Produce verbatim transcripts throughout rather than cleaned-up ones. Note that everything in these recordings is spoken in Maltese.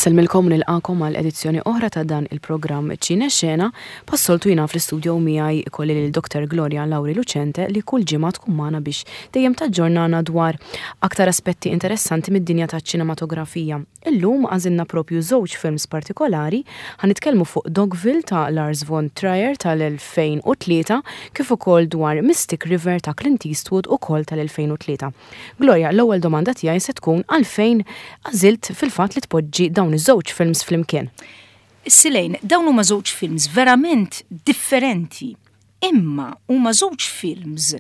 Insellmilkom, nilqagħkom għal edizzjoni oħra ta' dan il-programm Ċine Xena. Bħas-soltu, jiena fl-istudio miegħi ikolli lil Doktor Gloria Lauri Lucente, li kull ġimgħa tkun magħna biex dejjem taġġornana dwar aktar aspetti interessanti mid-dinja taċ-ċinematografija. Illum għażilna propju żewġ films partikolari. Ħa nitkellmu fuq Dogville ta' Lars von Trier tal-elfejn u tlieta, kif ukoll dwar Mystic River ta' Clint Eastwood, ukoll tal-elfejn u tlieta. Gloria, l-ewwel domanda tiegħi se tkun għalfejn għażilt fil-fatt li tpoġġi dawn iż-żewġ films flimkien. Silejn, dawn huma żewġ films verament differenti, imma huma żewġ films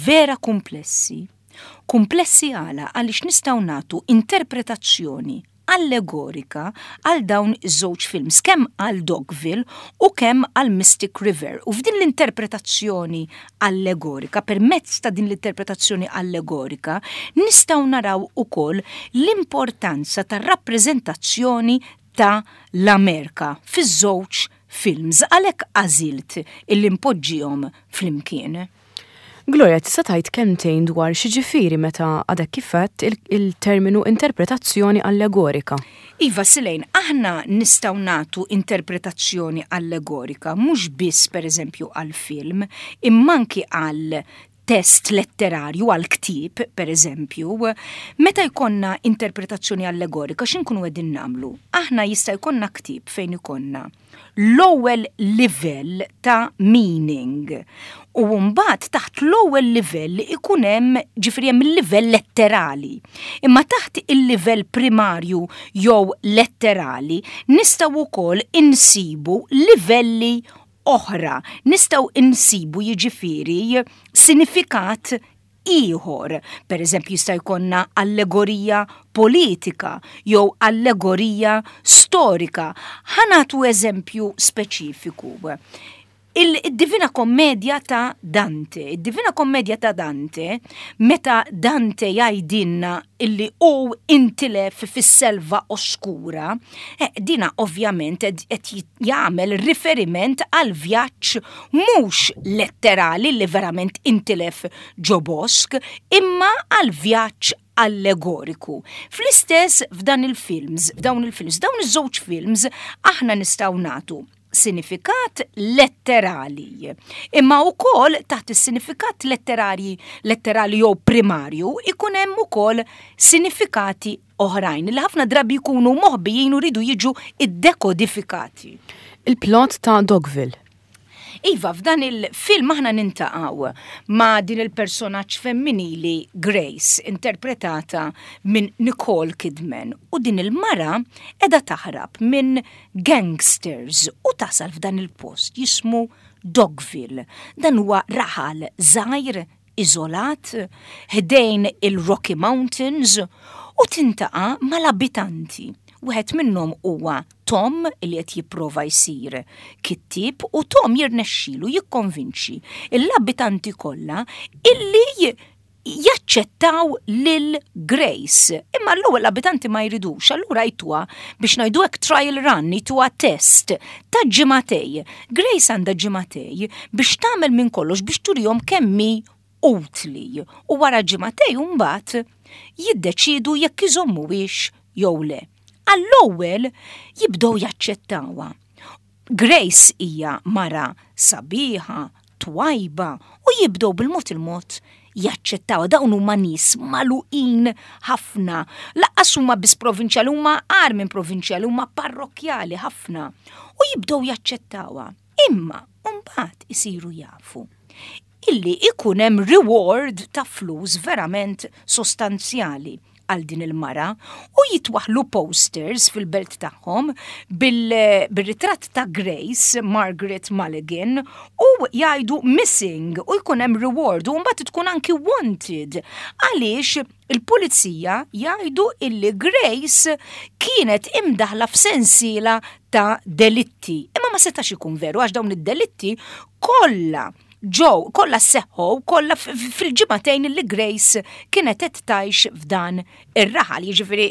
vera komplessi. Komplessi għala? Għaliex nistgħu nagħtu interpretazzjoni allegorika għal dawn iż-żewġ films, kemm għal Dogville u kemm għal Mystic River. U f'din l-interpretazzjoni allegorika, permezz ta' din l-interpretazzjoni allegorika, nistgħu naraw ukoll l-importanza tar-rappreżentazzjoni ta' l-Amerika fiż-żewġ films. Għalhekk għażilt illi npoġġihom flimkien. Gloria, tista' tgħid kelmtejn dwar x'jiġifieri meta għadek kif għedt il-terminu interpretazzjoni allegorika? Iva, Silejn, aħna nistgħu nagħtu interpretazzjoni allegorika mhux biss, per eżempju, għal film, imma anki għal test letterarju, għal ktieb, per eżempju. Meta jkollna interpretazzjoni allegorika, x'inkunu qegħdin nagħmlu? Aħna jista' jkollna ktieb fejn ikollna l-ewwel livell ta' meaning. U mbagħad taħt l-ewwel livell ikun hemm, ġifieri, hemm il-livell letterali. Imma taħt il-livell primarju jew letterali nistgħu wkoll insibu livelli oħra. Nistgħu insibu, jiġifieri, sinifikat ieħor. Per eżempju, jista' jkollna allegorija politika jew allegorija storika. Ħa nagħtu eżempju speċifiku. Il-Divina Kommedja ta' Dante. Il-Divina Kommedja ta' Dante, meta Dante jgħidilna illi hu intilef fis-selva oskura, eh, dina ovvjament qed jagħmel riferiment għal vjaġġ mhux letterali li verament intilef ġo bosk, imma għal vjaġġ allegoriku. Fl-istess f'dan il-films, f'dawn il-films, dawn iż-żewġ films, aħna nistgħu nagħtu sinifikat letterali. Imma wkoll taħt is-sinifikat letterali letterali jew primarju ikun hemm ukoll sinifikati oħrajn li ħafna drabi jkunu moħbijin u jridu jiġu iddekodifikati. Il-plot ta' Dogville. Iva, f'dan il-film aħna niltaqgħu ma' din il-personaġġ femminili Grace, interpretata minn Nicole Kidman. U din il-mara qegħda taħrab minn gangsters u tasal f'dan il-post jismu Dogville. Dan huwa raħal żgħir iżolat ħdejn il-Rocky Mountains u tiltaqa' mal-abitanti. Wieħed minnhom huwa Tom, li qed jipprova jsir kittib, u Tom jirnexxilu jikkonvinċi l-abitanti kollha illi jaċċettaw lil Grace. Imma l-ewwel l-abitanti ma jridux, allura jtuha, biex ngħidu hekk, trial run, jtuha test ta' ġimagħtejn. Grace għandha ġimagħtejn biex tagħmel minn kollox biex turihom kemm hi utli. U wara ġimagħtejn mbagħad jiddeċidu jekk iżommuhiex jew le. Għall-ewwel jibdew jaċċettawha. Grace hija mara sabiħa, twajba, u jibdew bil-mod il-mod jaċċettaw. Dawn huma nies magħluqin ħafna. Lanqas huma biss provinċjali, huma agħar minn provinċjali, huma parrokkjali ħafna. U jibdew jaċċettawha. Imma mbagħad isiru jafu illi ikun hemm reward ta' flus verament sostanzjali għal din il-mara u jitwaħlu posters fil-belt tagħhom bil-ritratt ta' Grace Margaret Mulligan u jgħidu "missing" u jkun hemm reward u mbagħad tkun anki wanted, għaliex il-pulizija jgħidu illi Grace kienet imdaħla f'sensiela ta' delitti. Imma ma setax ikun veru, għax dawn id-delitti kollha ġew, kollha seħħu, kollha fil-ġimagħtejn li Grace kienet qed tgħix f'dan ir-raħal, jiġifieri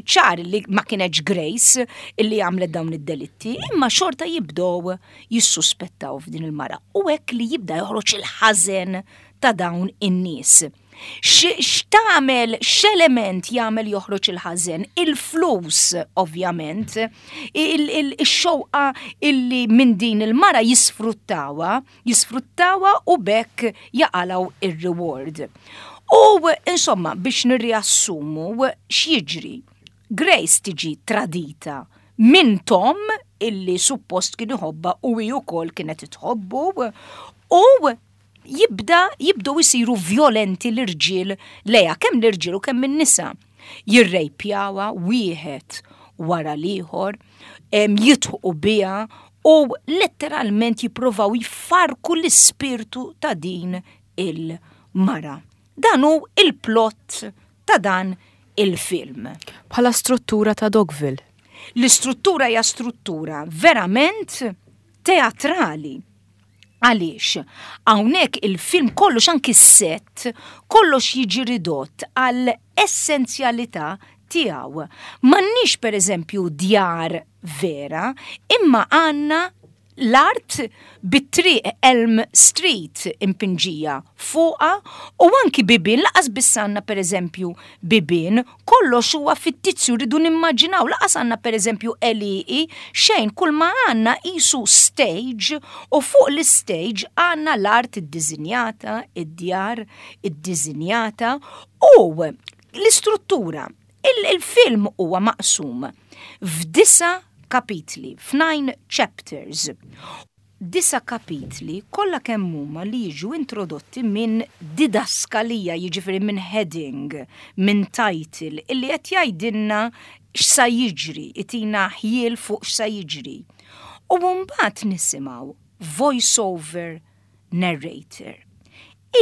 ċar li ma kienx Grace illi għamlet dawn id-delitti, imma xorta jibdew jissuspettaw f'din il-mara. U hekk li jibda joħroġ il-ħażen ta' dawn in-nies. X'tagħmel, x'element jagħmel joħroġ il-ħażen? Il-flus, ovvjament, ix-xewqa illi minn din il-mara jisfruttawha, jisfruttawha u b'hekk jaqilgħu ir-reward. U insomma, biex nirriassumu x'jiġri. Grace tiġi tradita minn Tom, illi suppost kien iħobbha u hi wkoll kienet tħobbu, u jibda jibdew isiru violenti l-irġiel lejha, kemm l-irġiel u kemm in-nisa. Jirrejpjawha wieħed wara l-ieħor, jidħqu biha u letteralment jipprovaw jfarku l-ispirtu ta' din il-mara. Dan hu il-plot ta' dan il-film. Bħala struttura ta' Dogville. L-istruttura hija struttura verament teatrali. Għaliex? Hawnhekk il-film kollox, anki s-set, kollox jiġi ridott għal essenzjalità tiegħu. M'għandniex, per eżempju, djar vera, imma għandna l-art bit-triq Elm Street impinġija fuqha u anki bibien, lanqas biss għandna, per eżempju, bibien, kollox huwa fittizju, rridu nimmaġinaw, lanqas għandna, per eżempju, għelieqi, xejn, kull ma għandna qisu stage u fuq l-stage għandna l-art iddiżinjata, id-djar iddiżinjata u l-istruttura. Il-film huwa maqsum f'disa' kapitli, f'nine chapters. Disa' kapitli kollha kemm huma li jiġu introdotti minn didaskalija, jiġifieri minn heading, minn title, illi qed jgħidilna x'sa jiġri, itina ħjiel fuq x'sa jiġri. U mbagħad nisimgħu voice-over narrator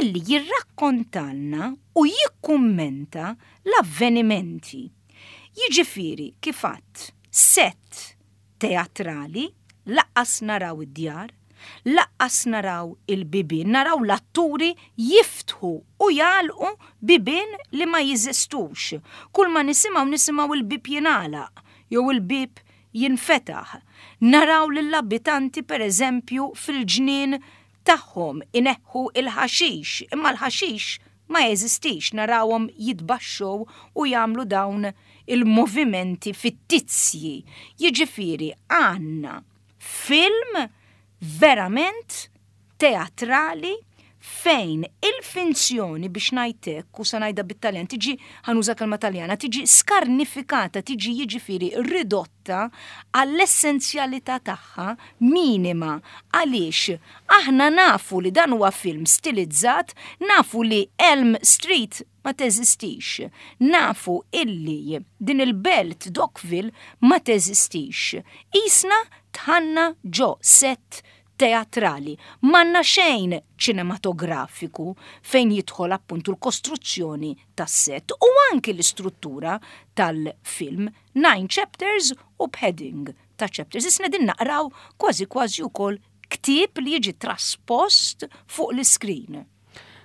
illi jirrakkontalna u jikkummenta l-avvenimenti. Jiġifieri, kif għedt, set teatrali, lanqas naraw id-djar, lanqas naraw il-bibien, naraw l-atturi jiftħu u jagħlqu bibien li ma jeżistux. Kull ma nisimgħu, nisimgħu il-bib jingħalaq jew il-bib jinfetaħ. Naraw lill-abitanti, per eżempju, fil-ġnien tagħhom ineħħu il-ħaxix, imma l-ħaxix ma jeżistix, narawhom jitbaxxew u jagħmlu dawn il-movimenti fittizji. Jiġifieri għandna film verament teatrali fejn il-finzjoni, biex ngħidlek, u sa ngħidha bit-Taljan, tiġi, ħa nuża kelma Taljana, tiġi skarnifikata, tiġi, jiġifieri, ridotta għall-essenzjalità tagħha minima, għaliex aħna nafu li dan huwa film stilizzat, nafu li Elm Street ma teżistix, nafu illi din il-belt Dogville ma teżistix. Qisna dħalna ġo set teatrali, m'għandna xejn ċinematografiku fejn jidħol appuntu l-kostruzzjoni tas-set u anki l-istruttura tal-film, nine chapters u b'heading ta' chapters. Qisna qegħdin naqraw kważi kważi wkoll ktieb li jiġi traspost fuq l-iskrin.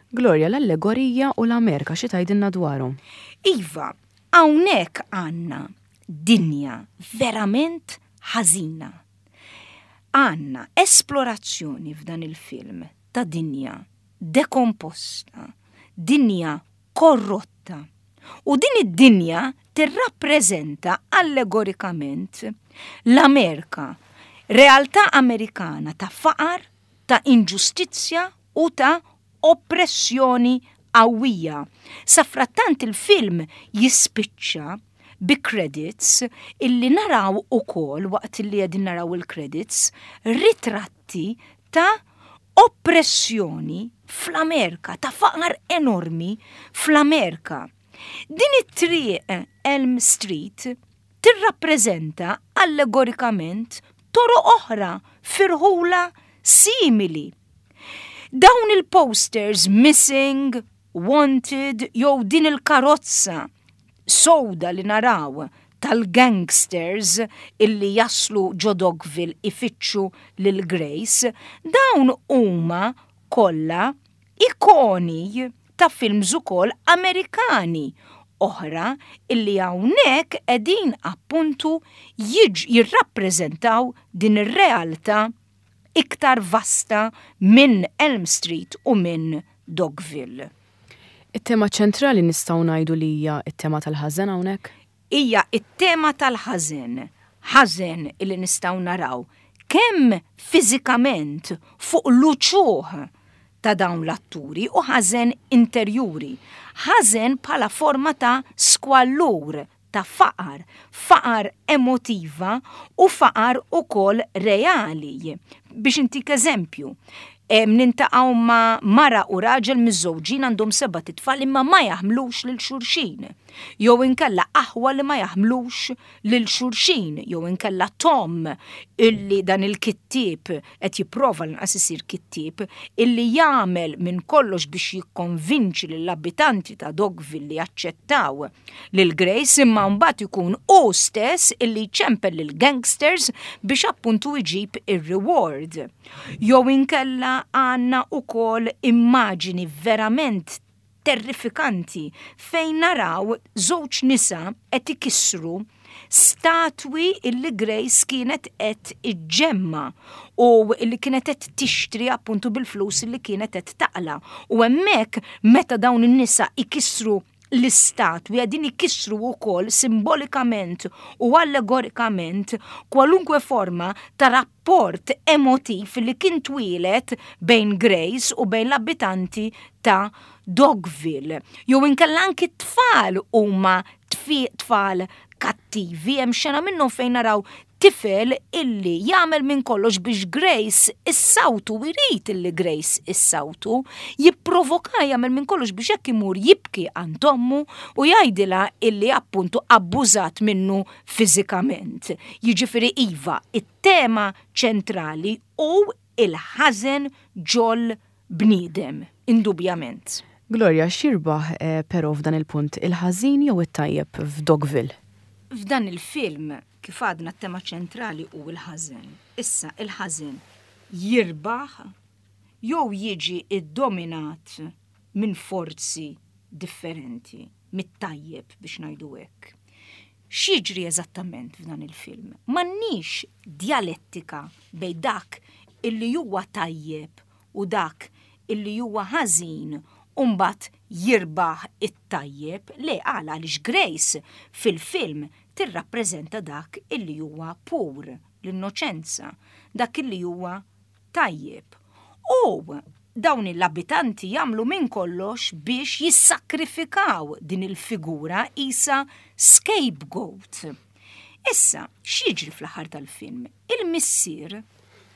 Gloria, l-allegorija u l-Amerika, xi tgħidilna dwarhom? Iva, hawnhekk għandna dinja verament ħażina. Għandna esplorazzjoni f'dan il-film ta' dinja dekomposta, dinja korrotta. U din id-dinja tirrappreżenta allegorikament l-Amerika, realtà Amerikana ta' faqar, ta' inġustizzja u ta' oppressjoni qawwija. Safrattant il-film jispiċċa bi credits illi naraw ukoll, waqt illi qegħdin naraw il-credits, ritratti ta' oppressjoni fl-Amerika, ta' faqar enormi fl-Amerika. Din it-triq Elm Street tirrappreżenta allegorikament toroq oħra f'irħula simili. Dawn il-posters missing, wanted, jew din il-karozza sewda li naraw tal-gangsters illi jaslu ġo Dogville ifittxu lil Grace, dawn huma kollha ikoni ta' films ukoll Amerikani oħra illi hawnhekk qegħdin appuntu jirrappreżentaw din ir-realtà iktar vasta minn Elm Street u minn Dogville. It-tema ċentrali nistgħu ngħidu li hija t-tema tal-ħażen hawnhekk? Hija it-tema tal-ħażen, ħażen illi nistgħu naraw kemm fiżikament fuq l-uċuħ ta' dawn l-atturi u ħażen interjuri. Ħażen bħala forma ta' skwallur, ta' faqar, faqar emotiva u faqar ukoll reali. Biex intik eżempju, niltaqgħu ma' mara u raġel miżżewġin, għandhom sebat itfal, imma ma jaħmlux lil xulxin. Jew inkella aħwa li ma jaħmlux lil xulxin, jew inkella Tom, illi dan il-kittieb qed jipprova l-inqas isir kittieb, illi jagħmel minn kollox biex jikkonvinċi lill-abitanti ta' Dogville li jaċċettaw lil Grace, imma mbagħad ikun hu stess illi jċempel lil gangsters biex appuntu jġib ir-reward. Jew inkella għandna ukoll immaġini verament terrifikanti fejn naraw żewġ nisa qed ikissru statwi illi Grace kienet qed iġġemma u illi kienet qed tixtri appuntu bil-flus illi kienet qed taqla. U hemmhekk, meta dawn in-nisa ikissru l-istatwi, qegħdin ikissru wkoll simbolikament u allegorikament kwalunkwe forma ta' rapport emotiv li kien twieled bejn Grace u bejn l-abitanti ta' Dogville. Jew inkella anki t-tfal huma tfal kattivi, hemm xena minnhom fejn naraw tifel illi jagħmel minn kollox biex Grace issawtu, jrid illi Grace issawtu, jipprovoka, jagħmel minn kollox biex hekk imur jibki għand ommu u jgħidilha illi appuntu abbużat minnu fiżikament. Jiġifieri iva, it-tema ċentrali hu il-ħażen ġol bniedem, indubjament. Gloria, x'jirbaħ eh, però f'dan il-punt, il-ħażin jew it-tajjeb f'Dogville? F'dan il-film, kif għadna, t-tema ċentrali hu il-ħażen. Issa, il-ħażen jirbaħ jew jiġi iddominat minn forzi differenti, mit-tajjeb, biex ngħidu hekk. X'jiġri eżattament f'dan il-film? M'għandniex dialettika bejn dak illi huwa tajjeb u dak illi huwa ħażin u mbagħad jirbaħ it-tajjeb. Le, għala? Għaliex Grace fil-film tirrappreżenta dak illi huwa pur, l-innoċenza, dak illi huwa tajjeb. U dawn l-abitanti jagħmlu minn kollox biex jissakrifikaw din il-figura isa scapegoat. Issa, x'jiġri fl-aħħar tal-film? Il-missier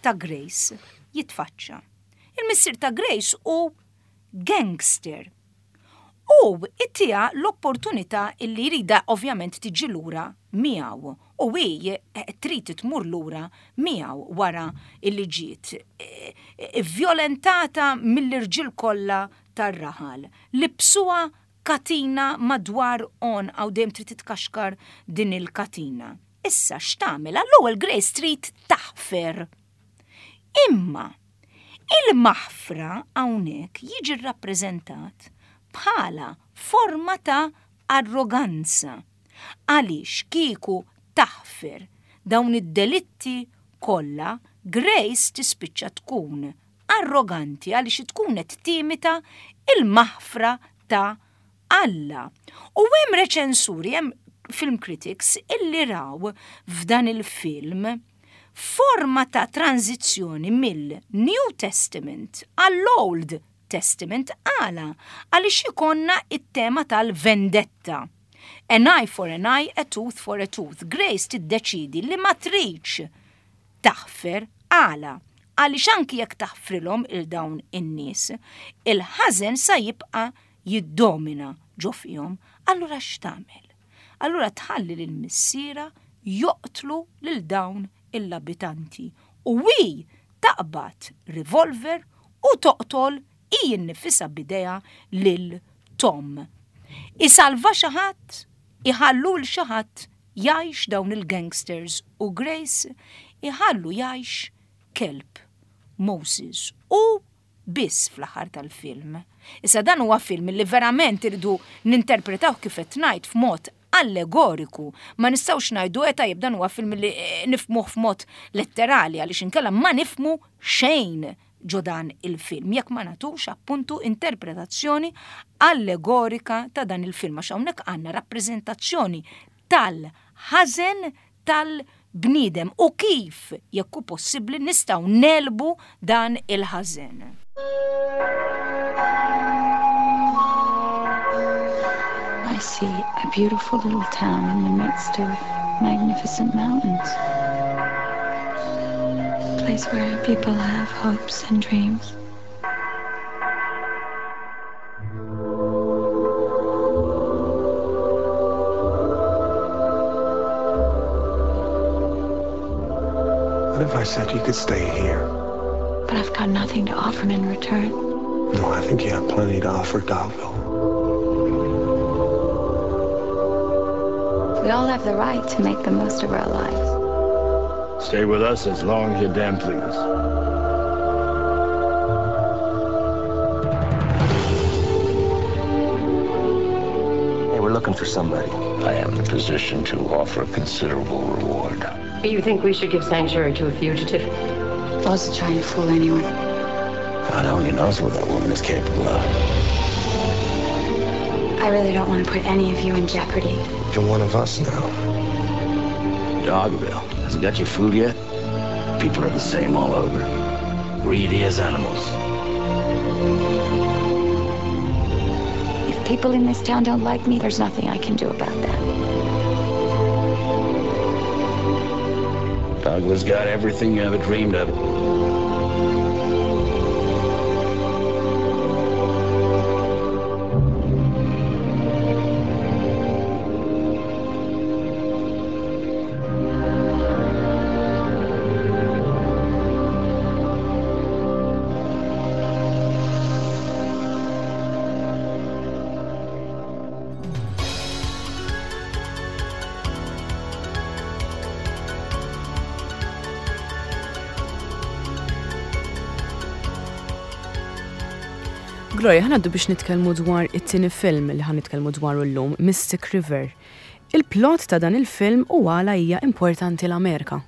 ta' Grace jitfaċċa. Il-missier ta' Grace hu gangster. U jtiha l-opportunità illi jridha ovvjament tiġi lura miegħu. U hi eh, trid tmur lura miegħu wara illi ġiet eh, eh, violentata mill-irġiel kollha tar-raħal. Libsuha katina madwar għonqha u dejjem trid titkaxkar din il-katina. Issa x'tagħmel? Għall-ewwel Grace trid taħfer. Imma il-maħfra hawnhekk jiġi rappreżentat bħala forma ta' arroganza. Għaliex kieku taħfer dawn id-delitti kollha, Grace tispiċċa tkun arroganti għaliex tkun qed timita il-maħfra ta' Alla. U hemm reċensuri, hemm film critics illi raw f'dan il-film forma ta' tranzizzjoni mill-New Testament għall-Old Testament. Għala? Għaliex ikollna it-tema tal-vendetta. An eye for an eye, a tooth for a tooth. Grace tiddeċidi li ma tridx taħfer. Għala? Għaliex anki jekk taħfrilhom lil dawn in-nies, il-ħażen sa jibqa' jiddomina ġo fihom. Allura x'tagħmel? Allura tħalli lil missierha joqtlu lil dawn l-abitanti. U hi taqbad revolver u toqtol hi nnifisha b'idejha lil Tom. Isalva xi ħadd, iħallu lil xi ħadd jgħix dawn il-gangsters u Grace? Iħallu jgħix kelb, Moses, u biss fl-aħħar tal-film. Issa dan huwa film li verament irridu ninterpretaw, kif qed ngħid, f'mod allegoriku. Ma nistgħux ngħidu, "E tajjeb, dan huwa film li eh, nifhmuh f'mod letterali", għaliex inkella ma nifhmu xejn. ġo dan il-film, jekk ma nagħtux appuntu interpretazzjoni allegorika ta' dan il-film, għax hawnhekk għandna rappreżentazzjoni tal-ħażen tal-bniedem u kif, jekk hu possibbli, nistgħu negħlbu dan il-ħażen. I see a beautiful little town in the midst of magnificent mountains. A place where people have hopes and dreams. What if I said you could stay here? But I've got nothing to offer in return. No, I think you have plenty to offer Dogville. We all have the right to make the most of our lives. Stay with us as long as you damn please. Hey, we're looking for somebody. I am in a position to offer a considerable reward. You think we should give sanctuary to a fugitive? I wasn't trying to fool anyone. God only knows what that woman is capable of. I really don't want to put any of you in jeopardy. You're one of us now. Dogville. Has it got your food yet? People are the same all over. Greedy as animals. If people in this town don't like me, there's nothing I can do about that. Dogville's got everything you ever dreamed of. Gloria, ħa ngħaddu biex nitkellmu dwar it-tieni film li ħa nitkellmu dwar illum, Mystic River. Il-plot ta' dan il-film u għala hija importanti l-Amerika.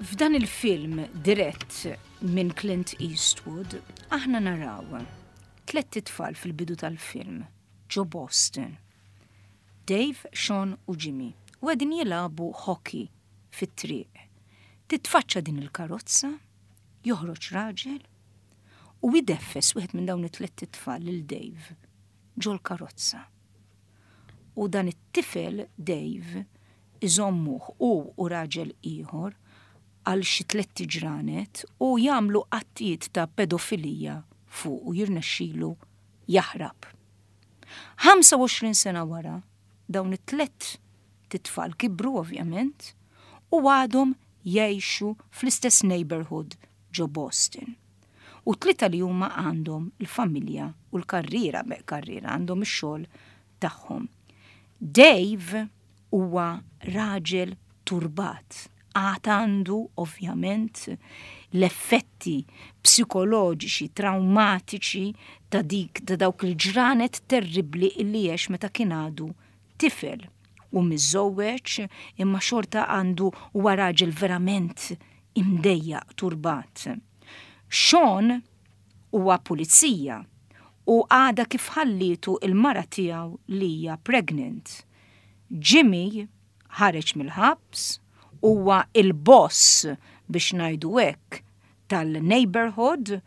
F'dan il-film dirett minn Clint Eastwood, aħna naraw tlett itfal fil-bidu tal-film ġo Boston. Dave, Sean u Jimmy u qegħdin jilagħbu hockey fit-triq. Titfaċċa din il-karozza, joħroġ raġel u jdeffes wieħed minn dawn it-tlett itfal lil Dave ġol karozza. U dan it-tifel Dave iżommuh u u raġel ieħor għal xi tlett ġranet u jagħmlu attijiet ta' pedofilija fuq u jirnexxilu jaħrab. ħamsa u għoxrin sena wara, dawn it-tlett titfal kibru ovvjament u għadhom jgħixu fl-istess neighborhood ġo Boston. U tlieta li huma għandhom il-familja u l-karriera, be karriera, għandhom ix-xogħol tagħhom. Dave huwa raġel turbat. Għad għandu ovvjament l-effetti psikoloġiċi, traumatiċi ta' dik ta' dawk il-ġranet terribli illi għex meta kien għadu tifel u miżżewweġ, imma xorta għandu, huwa raġel verament imdejjaq, turbat. Sean huwa pulizija u għada kif ħallitu il-mara tiegħu li hija pregnant. Jimmy ħareġ mill-ħabs, huwa il-boss, biex ngħidu hekk, tal-neighborhood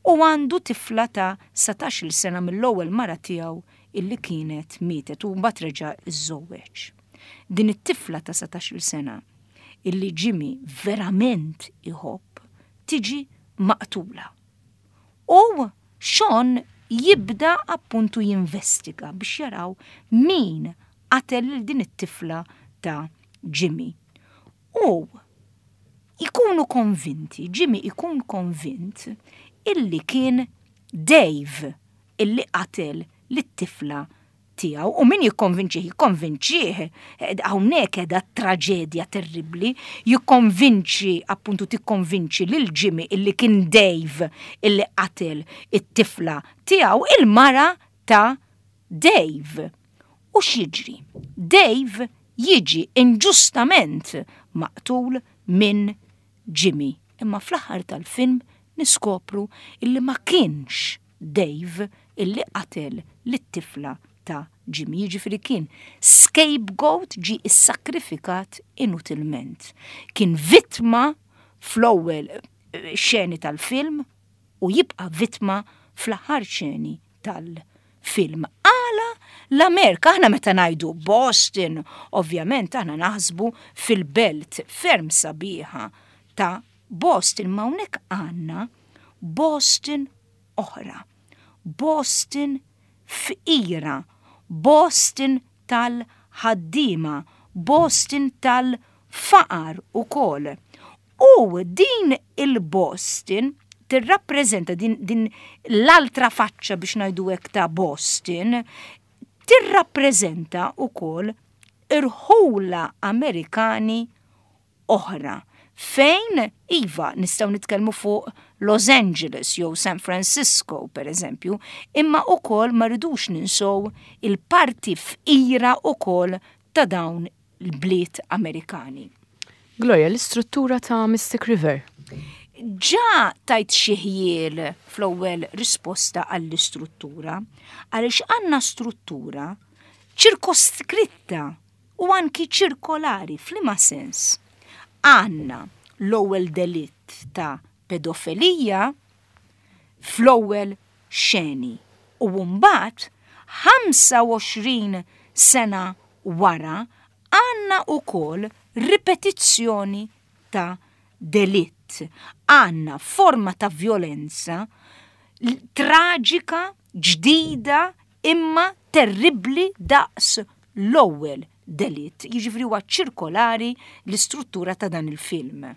u għandu tifla ta' satax-il sena mill-ewwel mara tiegħu illi kienet mietet u mbagħad reġa' iżżewweġ. Din it-tifla ta' satax-il sena illi Jimmy verament iħobb tiġi maqtula. U Sean jibda appuntu jinvestiga biex jaraw min qatel lil din it-tifla ta' Jimmy. U ikunu konvinti, Jimmy ikun konvint illi kien Dave illi qatel lit-tifla tiegħu, u min jikkonvinċih, jikkonvinċih, hawnhekk qiegħda traġedja terribbli, jikkonvinċi, appuntu tikkonvinċi lil Jimmy illi kien Dave illi qatel it-tifla tiegħu, il-mara ta' Dave. U x'jiġri? Dave jiġi inġustament maqtul minn Jimmy. Imma fl-aħħar tal-film Niskopru illi ma kienx Dave illi qatel lit-tifla ta' Jimmy, jiġifieri kien scapegoat, ġi issakrifikat inutilment. Kien vittma fl-ewwel eh, xeni tal-film u jibqa' vittma fl-aħħar xeni tal-film. Għala l-Amerika, aħna meta ngħidu Boston, ovvjament aħna naħsbu fil-belt ferm sabiħa ta' Boston, ma hawnhekk għandna Boston oħra. Boston fqira, Boston tal-ħaddiema, Boston tal-faqar ukoll. U din il-Boston tirrappreżenta din, din l-altra faċċa, biex ngħidu hekk, ta' Boston, tirrappreżenta ukoll irħula Amerikani oħra fejn iva nistgħu nitkellmu fuq Los Angeles jew San Francisco per eżempju, imma ukoll ma rridux ninsow il-parti fqira ukoll ta' dawn il-bliet Amerikani. Gloria, l-istruttura ta' Mystic River. Ġa tajt xi ħjiel fl-ewwel risposta għall-istruttura, għaliex għandna struttura ċirkoskritta u anki ċirkolari. F'liema sens? Għandna l-ewwel delitt ta' pedofilija fl-ewwel xeni u mbagħad ħamsa u għoxrin sena wara għandna ukoll ripetizzjoni ta' delitt. Għandna forma ta' violenza traġika, ġdida, imma terribli daqs l-ewwel delitt. Jiġifieri huwa ċirkolari l-istruttura ta' dan il-film.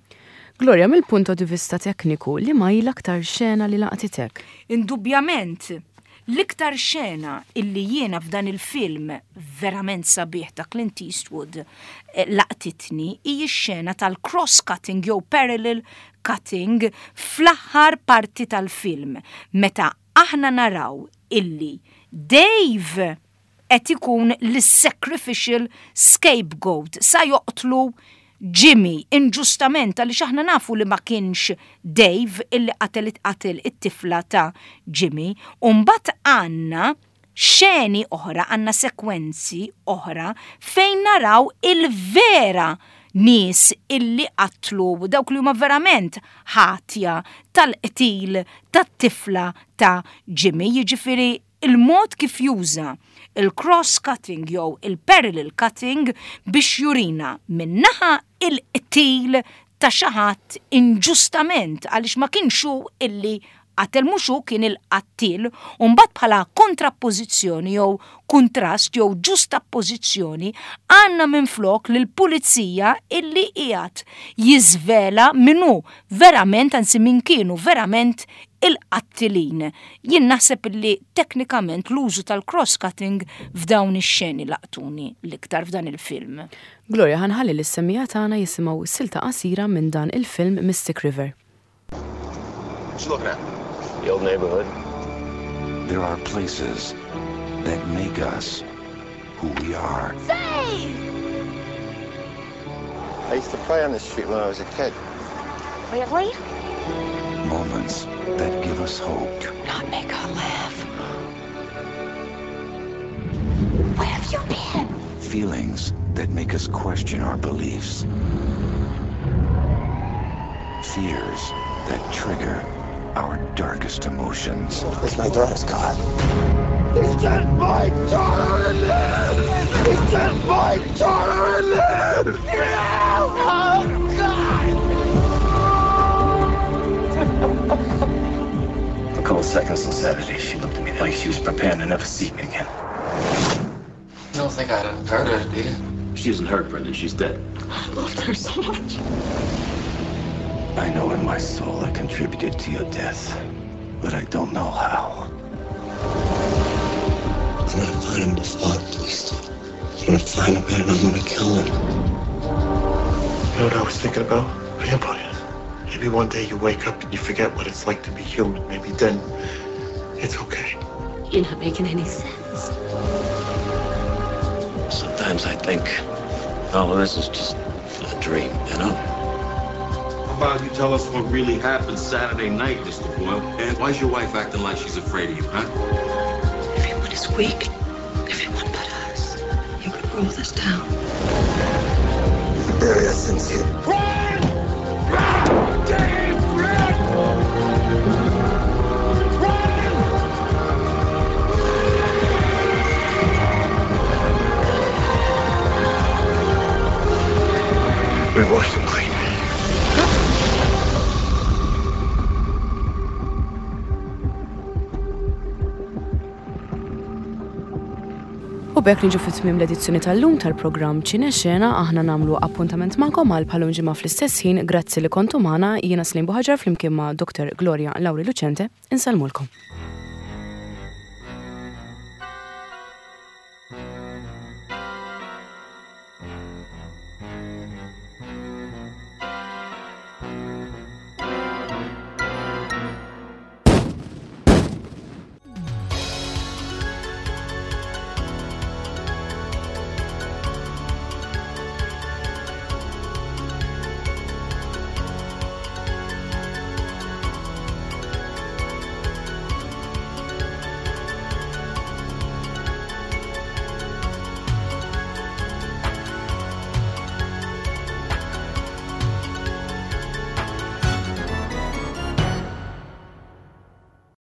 Gloria, mill-punto di vista tekniku, liema hi l-aktar xena li laqtitek? Indubjament, l-iktar xena illi jiena f'dan il-film verament sabiħ ta' Clint Eastwood eh, laqtitni hi x-xena tal-cross-cutting jew parallel cutting fl-aħħar parti tal-film meta aħna naraw illi Dave qed ikun l-sacrificial scapegoat, sa joqtlu Jimmy inġustament, għaliex aħna nafu li ma kienx Dave illi qatel qatel it-tifla ta' Jimmy. U mbagħad għandna xeni oħra, għandna sekwenzi oħra fejn naraw il-vera nies illi qatlu, dawk li huma verament ħatja tal-qtil tat-tifla ta' Jimmy, jiġifieri il-mod kif juża il-cross-cutting jew il-parallel cutting biex jurina min-naħa il-qtil ta' xi ħadd inġustament għaliex ma kienx hu illi qatel, mhux hu kien il-qattil, u mbagħad bħala kontrappożizzjoni jew kuntrast jew ġustappożizzjoni għandna minflok lill-pulizija illi qiegħed jiżvela min hu verament, anzi min kienu verament il-qattilin. Jien naħseb li teknikament l-użu tal-cross-cutting f'dawn ix-xeni laqtuni l-iktar f'dan il-film. Gloria, ħa nħalli lis-semmiegħa tagħna jisimgħu silta qasira minn dan il-film Mystic River. What you looking at? The old neighborhood. There are places that make us who we are. Say! I used to play on this street when I was a kid. Really? Moments that give us hope. Do not make her laugh. Where have you been? Feelings that make us question our beliefs. Fears that trigger our darkest emotions. It's my daughter's car. He sent my daughter in there! He sent my daughter in there! Oh, God! A couple seconds of sanity, she looked at me like she was preparing to never see me again. You don't think I hurt her, do you? She isn't hurt, Brendan. She's dead. I loved her so much. I know in my soul I contributed to your death, but I don't know how. I'm gonna find him before the police do. I'm gonna find him and I'm gonna kill him. You know what I was thinking about? Vampires. Maybe one day you wake up and you forget what it's like to be human. Maybe then it's okay. You're not making any sense. Sometimes I think all of this is just a dream, you know? about you tell us what really happened Saturday night, Mister Boyle? And why's your wife acting like she's afraid of you, huh? Everyone is weak. Everyone but us. You could rule this town. The very essence here. Run! Run! Dave, run! Run! We washed them clean. U b'hekk niġu fi tmiem l-edizzjoni tal-lum tal-programm Ċinexena. Aħna nagħmlu appuntament magħkom għal bħalum ġimgħa fl-istess ħin. Grazzi li kontu magħna. Jiena Slim Buħaġar flimkien ma' Doktor Gloria Lauri Lucente. Insellmulkom.